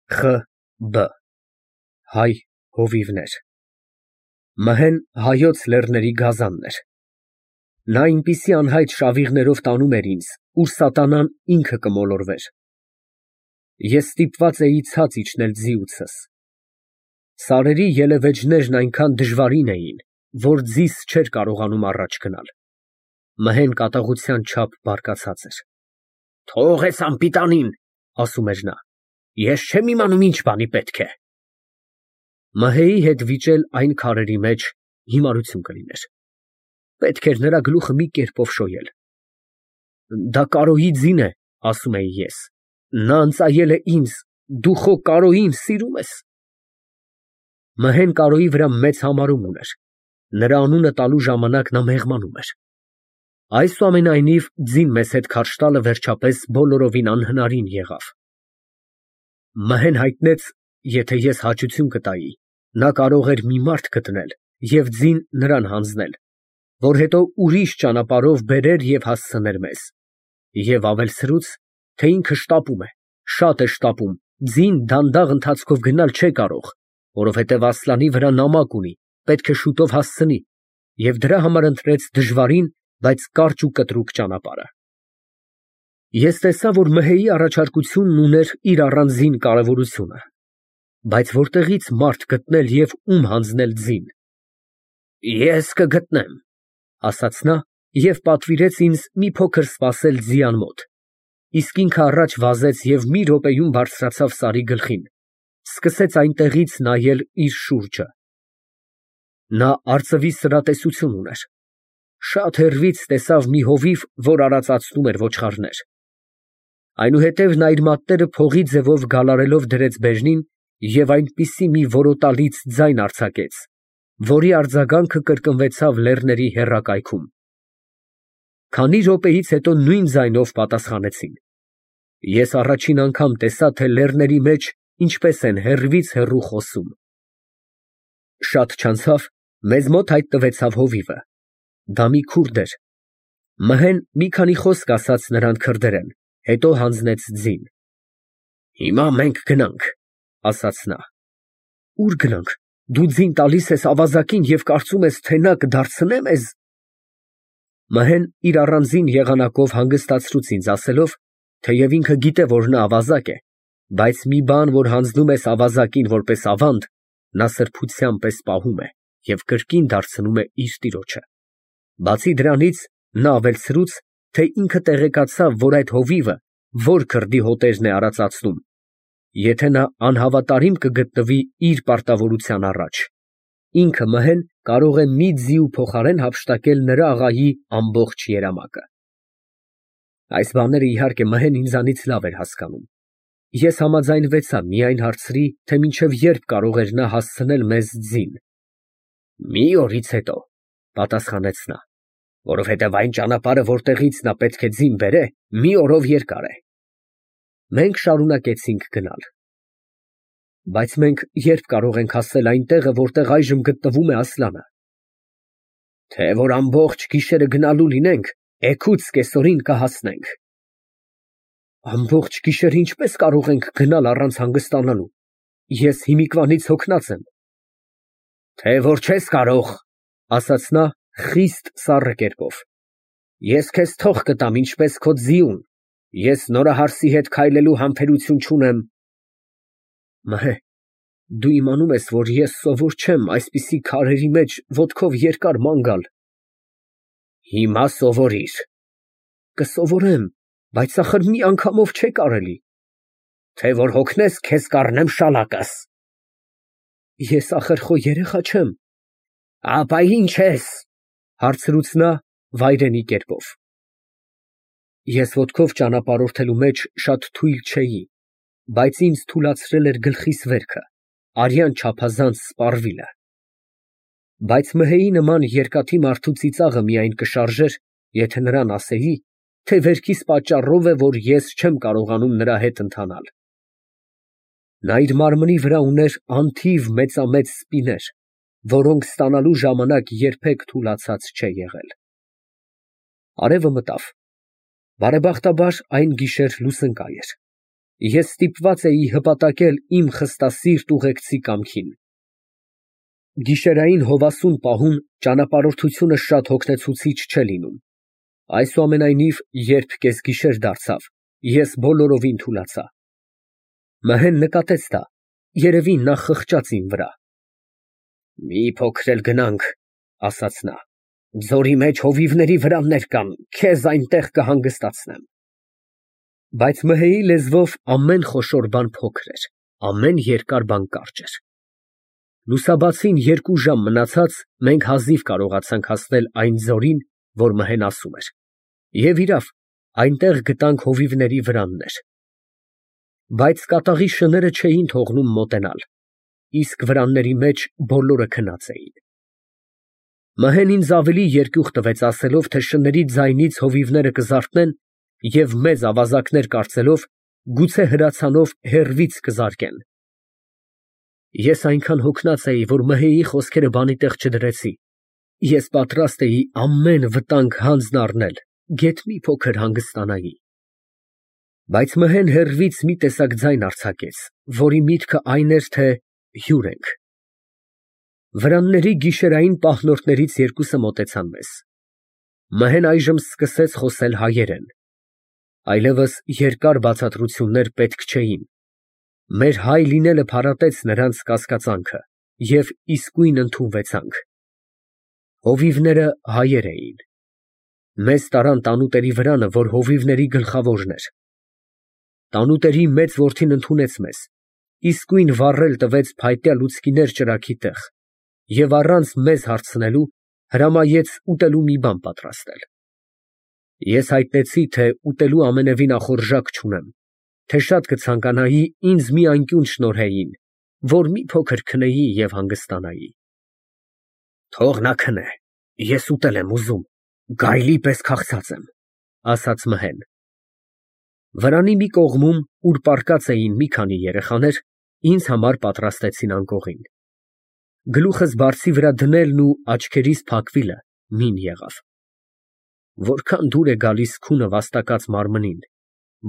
Խ. Բ. Հայ հովիվներ։ Մհեն հայոց լեռների գազանն էր։ Նա այնպիսի անհայտ շավիղներով տանում էր ինձ, ուր սատանան ինքը կմոլորվեր։ Ես ստիպված էի ցած իջնել ձիուցս։ Սարերի ելևէջներն այնքան դժվարին էին, որ ձիս չէր կարողանում առաջ գնալ։ Մհեն կատաղության չափ բարկացած էր։ «Թող էս անպիտանին», ասում էր նա, «ես չեմ իմանում ինչ բանի պետք է»։ Մհեի հետ վիճել այն քարերի մեջ հիմարություն կլիներ։ Պետք էր նրա գլուխը մի կերպով շոյել։ «Դա Կարոյի ձին է», ասում էի ես, «նա ընծայել է ինձ, դու խո Կարոյին սիրում ես»։ Մհեն Կարոյի վրա մեծ համարում ուներ։ Նրա անունը տալու ժամանակ նա մեղմանում էր։ Այսուամենայնիվ, ձին մեզ հետ քարշ տալը վերջապես բոլորովին անհնարին եղավ։ Մհեն հայտնեց, եթե ես հաճություն կտայի, նա կարող էր մի մարդ գտնել և ձին նրան հանձնել, որ հետո ուրիշ ճանապարհով բերեր և հասցներ մեզ, և ավելցրուց, թե ինքը շտապում է, շատ է շտապում, ձին դանդաղ ընթացքով գնալ չէ կարող, որովհետև Ասլանի վրա նամակ ունի, պետք է շուտով հասցնի, և դրա համար ընտրեց դժվարին, բայց կարճ ու կտրուկ ճանապարհը։ Ես տեսա, որ Մհեի առաջարկությունն ուներ իր առանձին կարևորությունը, բայց որտեղի՞ց մարդ գտնել և ում հանձնել ձին։ «Ես կգտնեմ», ասաց նա և պատվիրեց ինձ մի փոքր սպասել ձի անմոտ, իսկ ինքը առաջ վազեց և մի րոպեում բարձրացավ սարի գլխին, սկսեց այնտեղից նայել իր շուրջը։ Նա արծվի սրատեսություն ուներ։ Շատ հեռվից տեսավ մի հովիվ, որ արածացնում էր ոչխարներ։ Այնուհետև նա իր մատները փողի ձևով գալարելով դրեց բեժնին և այնպիսի մի որոտալից ձայն արձակեց, որի արձագանքը կրկնվեցավ լեռների եռակայքում։ Քանի րոպեից հետո նույն ձայնով պատասխանեցին։ Ես առաջին անգամ տեսա, թե լեռների մեջ ինչպես են հեռվից հեռու խոսում։ Շատ չանցավ, մեզ մոտ հայտնվեցավ հովիվը։ Դա մի քուրդ էր։ Մհեն մի քանի խոսք ասաց նրան քրդերեն, հետո հանձնեց ձին։ «Հիմա մենք գնանք», ասաց նա։ «Ո՞ւր գնանք, դու ձին տալիս ես ավազակին և կարծում ես, թե նա կդարձնե մեզ»։ Մհեն իր առանձին եղանակով հանգստացրուց ինձ ասելով, թեև ինքը գիտե, որ նա ավազակ է, բայց մի բան, որ հանձնում ես ավազակին որպես ավանդ, նա սրբության պես պահում է և կրկին դարձնում է իր տիրոջը։ Բացի դրանից, նա ավելցրուց, թե ինքը տեղեկացավ, որ այդ հովիվը որ քրդի հոտերն է արածացնում, եթե նա անհավատարիմ կգտնվի իր պարտավորության առաջ, ինքը Մհեն կարող է մի ձիու փոխարեն հափշտակել նրա աղայի ամբողջ երամակը։ Այս բաները, իհարկե, Մհեն ինձանից լավ էր հասկանում։ Ես համաձայնվեցա, միայն հարցրի, թե մինչև երբ կարող էր նա հասցնել մեզ ձին։ «Մի օրից հետո», պատասխանեց նա, «որովհետև այն ճանապարհը, որտեղից նա պետք է ձին բերե, մի օրով երկար է»։ Մենք շարունակեցինք գնալ։ Բայց մենք ե՞րբ կարող ենք հասնել այն տեղը, որտեղ այժմ գտնվում է Ասլանը։ Թե որ ամբողջ գիշերը գնալու լինենք, էգուց կեսօրին կհասնենք։ Ամբողջ գիշեր ինչպե՞ս կարող ենք գնալ առանց հանգստանալու, ես հիմիկվանից հոգնած եմ։ Թե որ չես կարող, ասաց նա խիստ սառը կերպով, ես քեզ թող կտամ ինչպես քո ձիուն, ես նորահարսի հետ քայլելու համբերություն չունեմ։ Մհե, դու իմանում ես, որ ես սովոր չեմ այսպիսի քարերի մեջ ոտքով երկար ման գալ։ Հիմա սովորիր։ Կսովորեմ, բայց ախր մի անգամով չէ կարելի։ Թե որ հոգնես, քեզ կառնեմ շալակս։ Ես ախր խո երեխա չեմ։ Ապա ի՞նչ ես, հարցրուց նա վայրենի կերպով։ Ես ոտքով ճանապարհորդելու մեջ շատ թույլ չէի, բայց ինձ թուլացրել էր գլխիս վերքը, արյան չափազանց սպառվիլը։ Բայց Մհեի նման երկաթի մարդու ծիծաղը միայն կշարժեր, եթե նրան ասեի, թե վերքիս պատճառով է, որ ես չեմ կարողանում նրա հետ ընթանալ։ Նա իր մարմնի վրա ուներ անթիվ մեծամեծ սպիներ, որոնք ստանալու ժամանակ երբեք թուլացած չէ եղել։ Արևը մտավ։ Բարեբախտաբար այն գիշեր լուսընկայ էր։ Ես ստիպված էի հպատակել իմ խստասիրտ ուղեկցի կամքին։ Գիշերային հովասուն պահում ճանապարհորդությունը շատ հոգնեցուցիչ չէ լինում։ Այսուամենայնիվ, երբ կեսգիշեր դարձավ, ես բոլորովին թուլացա։ Մըհեն նկատեց դա, երևի նա խղճաց իմ վրա։ Մի փոքր էլ գնանք, ասաց նա, ձորի մեջ հովիվների վրաններ կան, քեզ այնտեղ կհանգստացնեմ։ Բայց Մըհեի լեզվով ամեն խոշոր բան փոքր էր, ամեն երկար բան կարճ էր։ Լուսաբացին 2 ժամ մնացած մենք հազիվ կարողացանք հասնել այն ձորին, որ Մըհեն ասում էր, և իրավ, այնտեղ գտանք հովիվների վրաններ։ Բայց կատաղի շները չէին թողնում մոտենալ, իսկ վրանների մեջ բոլորը քնած էին։ Մըհեն ինձ ավելի երկյուղ տվեց ասելով, թե շների ձայնից հովիվները կզարթնեն և մեծ ավազակներ կարծելով, գուցե հրացանով հեռվից կզարկեն։ Ես այնքան հոգնած էի, որ Մըհեի խոսքերը բանի տեղ չդրեցի։ Ես պատրաստ էի ամեն վտանգ հանձն առնել, գեթ մի փոքր հանգստանայի։ Բայց Մըհեն հեռվից մի տեսակ ձայն արձակեց, որի միտքը այն էր, թե հյուր ենք։ Վրանների գիշերային պահնորդներից 2-ը մոտեցան մեզ։ Մըհեն այժմ սկսեց խոսել հայերեն։ Այլևս երկար բացատրություններ պետք չէին։ Մեր հայ լինելը փարատեց նրանց կասկածանքը, և իսկույն ընդունվեցանք։ Հովիվները հայեր էին։ Մեզ տարան տանուտերի վրանը, որ հովիվների գլխավորն էր։ Տանուտերի մեծ որդին ընդունեց մեզ, իսկույն վառել տվեց փայտյա լուցկիներ ճրագի տեղ և առանց մեզ հարցնելու հրամայեց ուտելու մի բան պատրաստել։ Ես հայտնեցի, թե ուտելու ամենևին ախորժակ չունեմ, թե շատ կցանկանայի ինձ մի անկյուն շնորհեին, որ մի փոքր քնեի և հանգստանայի։ Թող նա քնե, ես ուտել եմ ուզում, գայլի պես քաղցած եմ, ասաց Մըհեն։ Վրանի մի կողմում, ուր պառկած էին մի քանի երեխաներ, ինձ համար պատրաստեցին անկողին։ Գլուխս բարձի վրա դնելն ու աչքերիս փակվիլը մին եղավ։ Որքան դուր է գալիս քունը վաստակած մարմնին,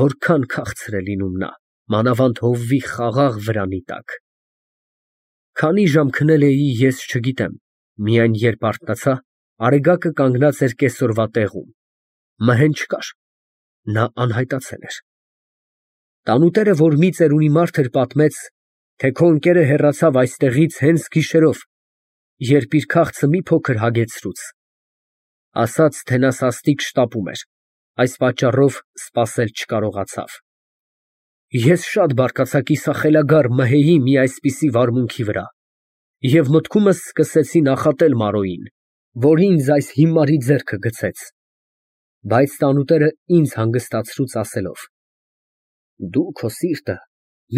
որքան քաղցր է լինում նա, մանավանդ հովվի խաղաղ վրանի տակ։ Քանի ժամ քնել էի, ես չգիտեմ, միայն երբ արթնացա, Արեգակը կանգնած էր կեսօրվա տեղում։ Մըհեն չկար, նա անհայտացել էր։ Տանուտերը, որ մի ծերունի մարդ էր, պատմեց, թե քո ընկերը հեռացավ այստեղից հենց գիշերով, երբ իր քաղցը մի փոքր հագեցրուց։ Ասաց, թե նա սաստիկ շտապում էր, այս պատճառով սպասել չկարողացավ։ Ես շատ բարկացա կիսախելագար Մըհեի մի այսպիսի վարմունքի վրա և մտքումս սկսեցի նախատել Մարոյին, որ ինձ այս հիմարի ձեռքը գցեց։ Բայց տանուտերը ինձ հանգստացրուց ասելով. Դու քո սիրտը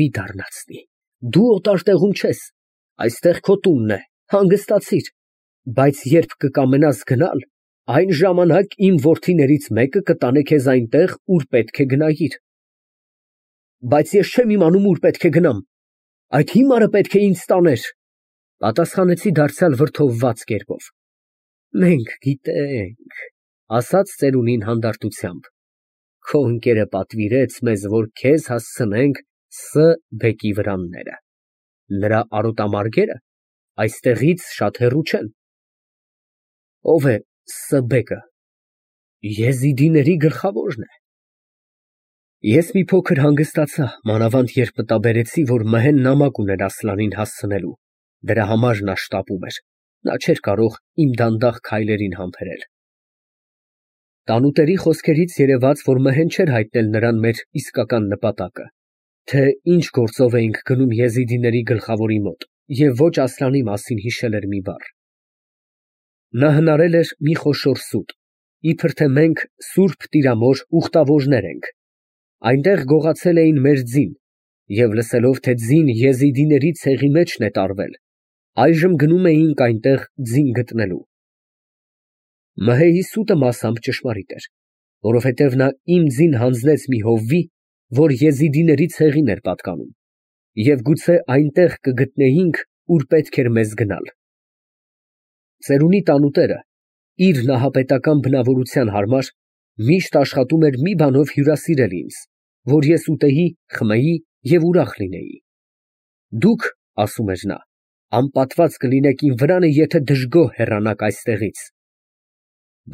մի դառնացնի, դու օտար տեղում չես, այստեղ քո տունն է, հանգստացիր, բայց երբ կկամենաս գնալ, այն ժամանակ իմ որդիներից մեկը կտանե քեզ այնտեղ, ուր պետք է գնայիր։ Բայց ես չեմ իմանում, ուր պետք է գնամ, այդ հիմարը պետք է ինձ տաներ, պատասխանեցի դարձյալ վրդովված կերպով։ Մենք գիտենք, ասաց ծերունին հանդարտությամբ, քո ընկերը պատվիրեց մեզ, որ քեզ հասցնենք Ս. բեկի վրանները։ Նրա արոտամարգերը այստեղից շատ հեռու չեն։ Ո՞վ է Ս. բեկը։ Եզիդիների գլխավորն է։ Ես մի փոքր հանգստացա, մանավանդ երբ մտաբերեցի, որ Մըհեն նամակ ուներ Ասլանին հասցնելու, դրա համար նա շտապում էր, նա չէր կարող իմ դանդաղ քայլերին համբերել։ Տանուտերի խոսքերից երևաց, որ Մըհեն չէր հայտնել նրան մեր իսկական նպատակը, թե ինչ գործով էինք գնում եզիդիների գլխավորի մոտ և ոչ Ասլանի մասին հիշել էր մի բառ։ Նա հնարել էր մի խոշոր սուտ, իբր թե մենք Սուրբ Տիրամոր ուխտավորներ ենք։ Այնտեղ գողացել էին մեր ձին, և լսելով, թե ձին եզիդիների ցեղի մեջն է տարվել, այժմ գնում էինք այնտեղ ձին գտնելու։ Մըհեի սուտը մասամբ ճշմարիտ էր, որովհետև նա իմ ձին հանձնեց մի հովվի, որ եզիդիների ցեղին էր պատկանում, և գուցե այնտեղ կգտնեինք, ուր պետք էր մեզ գնալ։ Ծերունի տանուտերը, իր նահապետական բնավորության համար, միշտ աշխատում էր մի բանով հյուրասիրել ինձ, որ ես ուտեի, խմեի և ուրախ լինեի։ Դուք, ասում էր նա, անպատված կլինեք իմ վրանը, եթե դժգոհ հեռանաք այստեղից։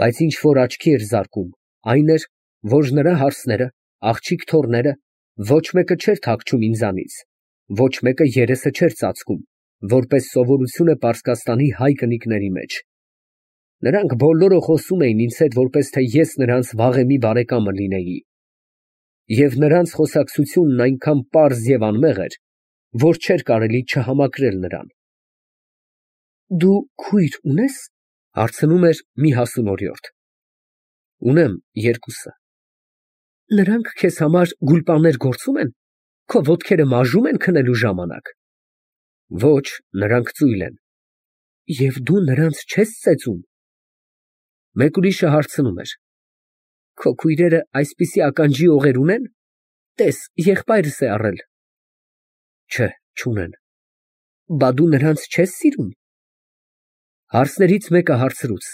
Բայց ինչ որ աչքի էր զարկում, այն էր, որ նրա հարցերը, աղջիկ թոռները, ոչ մեկը չէր թաքչում ինձանից, ոչ մեկը երեսը չէր ծածկում, որպես սովորություն է Պարսկաստանի հայ կնիկների մեջ։ Նրանք բոլորը խոսում էին ինձ հետ, որպես թե ես նրանց վաղեմի բարեկամը լինեի։ Եվ նրանց խոսակցությունն այնքան պարզ և անմեղ էր, որ չէր կարելի չհամակրել նրան։ Դու քույր ունե՞ս, հարցնում էր մի հասունորյորդ։ Ունեմ երկուսը։ Նրանք քեզ համար գուլպաներ գործում են, քո ոտքերը մաժում են քնելու ժամանակ։ Ոչ, նրանք ծույլ են։ Եվ դու նրանց չես ծեծում։ Մեկ ուրիշը հարցնում էր. Քո քույրերը այսպիսի ականջի օղեր ունեն։ Տես, եղբայրս է առել։ Չէ, չունեն։ Բա դու նրանց չես սիրում։ Հարցներից մեկը հարցրուց.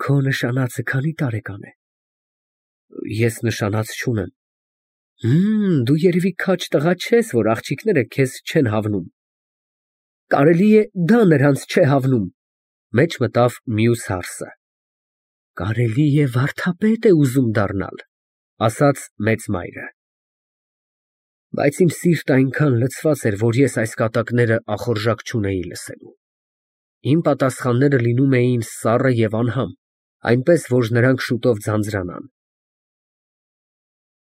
Քո նշանածը քանի տարեկան է։ Ես նշանած չունեմ։ Դու երևի քաջ տղա չես, որ աղջիկները քեզ չեն հավնում։ Կարելի է դա նրանց չէ հավնում, մեջ մտավ մյուս հարսը։ Կարելի է վարդապետ է ուզում դառնալ, ասաց մեծ մայրը։ Բայց իմ սիրտը այնքան լցված էր, որ ես այս կատակները ախորժակ չունեի լսելու։ Իմ պատասխանները լինում էին սառը և անհամ, այնպես որ նրանք շուտով ձանձրանան։